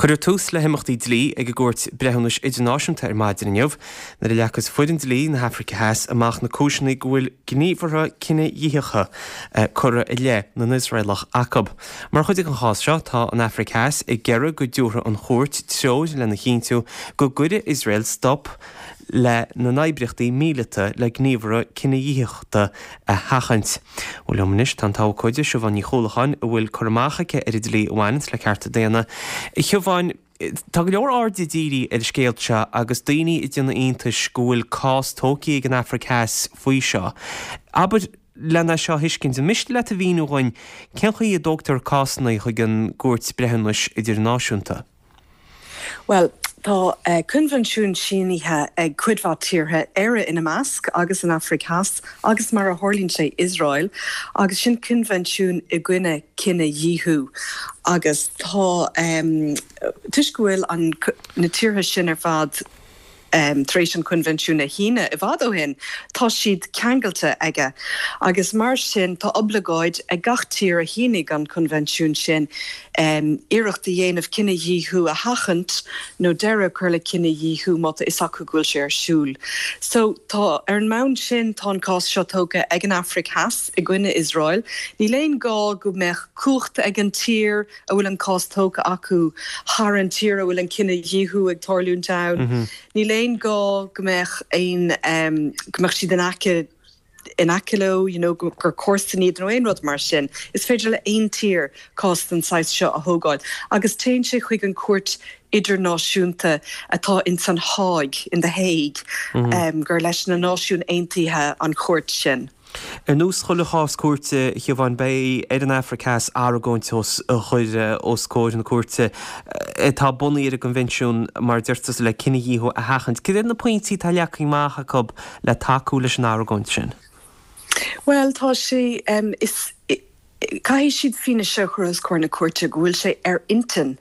Cuireadh tús le himeachtaí dlí ag an gCúirt Breithiúnais Idirnáisiúnta ar maidin inniu nuair a leagfas foireann dlí na hAfraice Theas amach na cúiseanna go bhfuil gníomhartha cinedhíothaithe curtha i leith na nIosraelach acu. Mar chuid den chás seo, tá an Afraic Theas ag iarraidh go dtabharfaidh an chúirt treoir lena chinntiú go gcuirfidh Iosrael stop lena n-oibríochtaí míleata le gníomhartha cinedhíothachta a sheachaint. Bhuel liom anois tá an t-abhcóide Siobhán Ní Chuallacháin a bhfuil cur amach aici ar an dlí a bhaineanns le cearta daonna. A Shiobháin, tá go leor airde dírithe ar an scéal seo agus daoine ag déanamh iontais go bhfuil cás tógtha ag an Afraic Theas faoi seo. Abair len é seo a thuiscint, an miste leat a mhíniú dhuinn cén chaoi a dtógtar cásanna chuig an gCúirt Breithiúnais Idirnáisiúnta? Bhuel, tá coinbhinsiún sínithe ag cuid mhaith tíortha, Éire ina measc, agus an Afraic Theas, agus mar a tharlaíonn sé, Iosrael, agus sin coinbhinsiún i gcoinne cinedhíothú. Agus tá, toisc go bhfuil an, na tíortha sin ar fad, tar éis an coinbhinsiún a shíneadh i bhfad ó shin, tá siad ceangailte aige agus mar sin tá oibleagáid ag gach tír a shínigh an coinbhinsiún sin iarracht a dhéanamh cinedhíothú a sheachaint nó deireadh a chur le cinedhíothú má tá fhios acu go bhfuil sé ar siúl. So tá, ar an mbonn sin tá an cás seo tógtha ag an Afraic Theas i gcoinne Iosrael. Níl aon gá go mbeadh cumhacht ag an tír a bhfuil an cás tógtha acu thar an tír a bhfuil an cinedhíothú ag tarlúint ann. Níl aon gá go mbeadh aon, go mbeadh siad in aice, in aice leo, you know, gur comharsain iad nó aon rud mar sin. Is féidir le aon tír cás den saghas seo a thógáil agus téann sé chuig an chúirt idirnáisiúnta atá ins an Háig, in The Hague, gur leis na Náisiúin Aontaithe an chúirt sin. Ar nós chuile chás cúirte, a Shiobháin, beidh ar an Afraic Theas argóint a chur os comhair na cúirte atá bunaithe ar an gcoinbhinsiún, mar a deir tusa, le cinedhíothú a sheachaint. Cad iad na pointí atá leagtha amach acu le tacú leis an argóint sin? Bhuel, tá sé, is. Caithfidh siad fianaise a chur os comhair na cúirte go bhfuil sé ar intinn,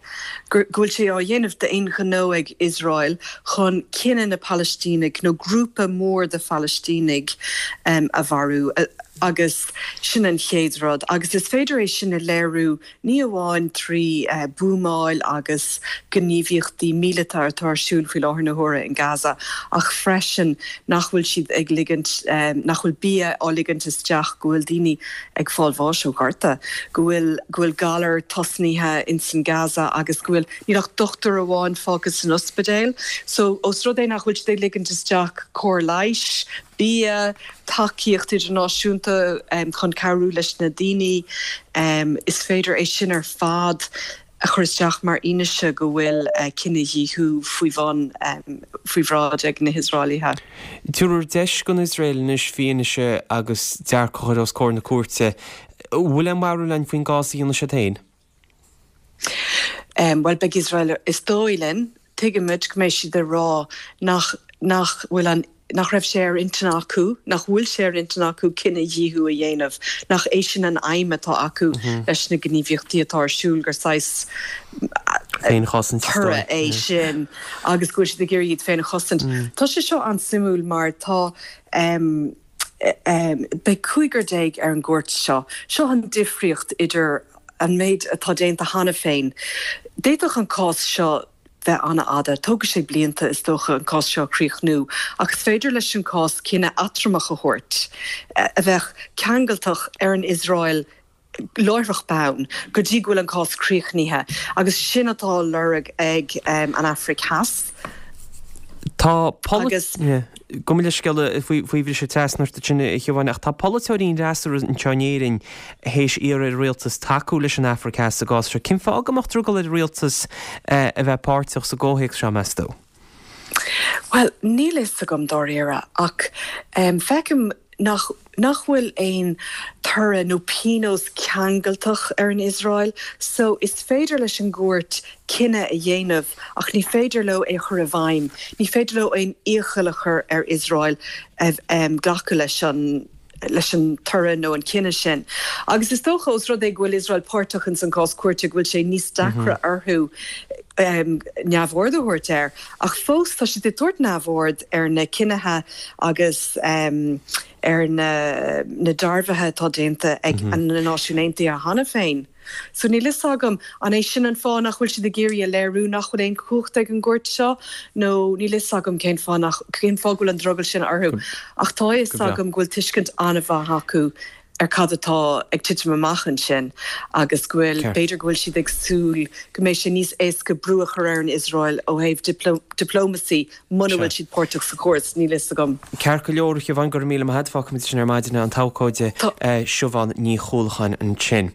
go bhfuil sé á dhéanamh d'aon ghnó ag Iosrael chun cine na Palaistínigh nó grúpa mór de Phalaistínigh a mharú agus sin an chéad rud. Agus is féidir é sin a léiriú ní amháin trí buamáil agus gníomhaíochtaí míleata atá ar siúl faoi láthair na huaire in Gaza ach freisin nach bhfuil siad ag ligint, nach bhfuil bia á ligint isteach, go bhfuil daoine ag fáil bháis ó ghorta, go bhfuil, go bhfuil galar tosnaithe ins an Gaza agus go bhfuil, níl ach dochtúir amháin fágtha san ospidéal. So, ós rud é nach bhfuil siad ag ligint isteach cóir leighis, bia, tacaíocht idirnáisiúnta chun cabhrú leis na daoine, is féidir é sin ar fad a chur isteach mar fhianaise go bhfuil cinedhíothú faoi bhun, faoi bhráid ag na hIosraelaithe. Tabharfar deis don Iosrael anois fianaise agus dearcadh a chur os comhair na cúirte. An bhfuil aon bharúil againn faoin gcás a dhéanfaidh siad féin? Bhuel, beidh Iosrael, is dóigh linn, tuigimid go mbeidh siad ag rá nach, nach bhfuil an, nach raibh sé ar intinn acu, nach bhfuil sé ar intinn acu cinedhíothú a dhéanamh, nach é sin an aidhm atá acu leis na gníomhaíochtaí atá ar siúl, gur saghas Féinchosaint, is dóigh. toradh é sin agus go bhfuil siad ag iarraidh iad féin a chosaint. Tá sé seo an-suimiúil mar tá, beidh cúigear déag ar an gcúirt seo. Seo an difríocht idir an méid atá déanta cheana féin. D'fhéadfadh an cás seo bheith an-fhada. Tógfaidh sé blianta, is dócha, an cás seo a chríochnú, ach is féidir leis an cás cinneadh eatramhach a thabhairt, a bheadh ceangailteach ar an Iosrael láithreach bonn, go dtí go bhfuil an cás críochnaithe. Agus sin atá á lorg ag an Afraic Theas. Tá Agus. Gabh mo leithscéal faoi bhriseadh trasna ort ansin, a Shiobháin, ach tá polaiteoirí an fhreasúra anseo in Éirinn théis iarraidh ar an rialtas tacú leis an Afraic Theas sa gcás seo. Cén fáth go mbeadh drogall ar an rialtas a bheith páirteach sa gcomhthéacs seo, meas tú? Bhuel, níl a fhios agam dáiríre, ach feicim nach nach bhfuil aon toradh nó pionós ceangailteach ar an Iosrael so is féidir leis an gcúirt cinneadh a dhéanamh ach ní féidir leo é a chur i bhfeidhm. Ní féidir leo aon iachall a chur ar Iosrael glacadh leis an leis an toradh nó an cinneadh sin. Agus is dócha, ós rud é go bhfuil Iosrael páirteach ins an gcás cúirte, go bhfuil sé níos deacra orthu neamhaird a thabhairt air. Ach fós, tá siad ag tabhairt neamhaird ar na cinnithe agus ar na na dearbhuithe atá déanta ag na Náisiúin Aontaithe cheana féin. So níl fhios agam an é sin an fáth nach bhfuil siad ag iarraidh a léiriú nach bhfuil aon chumhacht ag an gcúirt seo nó níl fhios agam cén fáth nach, cén fáth go bhfuil an drogall sin orthu. Ach tá a fhios agam go bhfuil tuiscint an-mhaith acu ar cad atá ag titim amach ansin agus go bhfuil, b'fhéidir go bhfuil siad ag súil go mbeidh sé níos éasca brú a chur ar an Iosrael ó thaobh diplomacy muna bhfuil siad páirteach sa chóras, níl fhios agam. Ceart go leor, a Shiobhán, go raibh míle maith agat. Fágfaimid sin ar maidin an t-abhcóide Siobhán Ní Chuallacháin ansin.